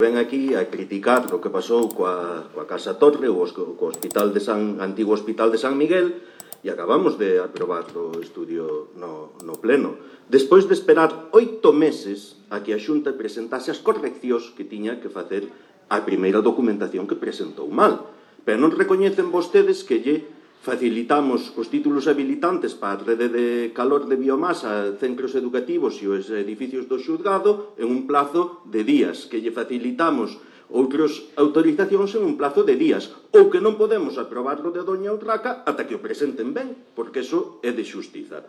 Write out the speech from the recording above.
Ven aquí a criticar o que pasou coa Casa Torre ou co antigo Hospital de San Miguel e acabamos de aprobar o estudio no pleno. Despois de esperar 8 meses a que a Xunta presentase as correccións que tiña que facer a primeira documentación que presentou mal. Pero non recoñecen vostedes que lle facilitamos os títulos habilitantes para a rede de calor de biomasa, centros educativos e os edificios do xulgado en un plazo de días, que lle facilitamos outras autorizacións en un plazo de días, ou que non podemos aprobarlo de Doña Urraca ata que o presenten ben, porque iso é de xustiza.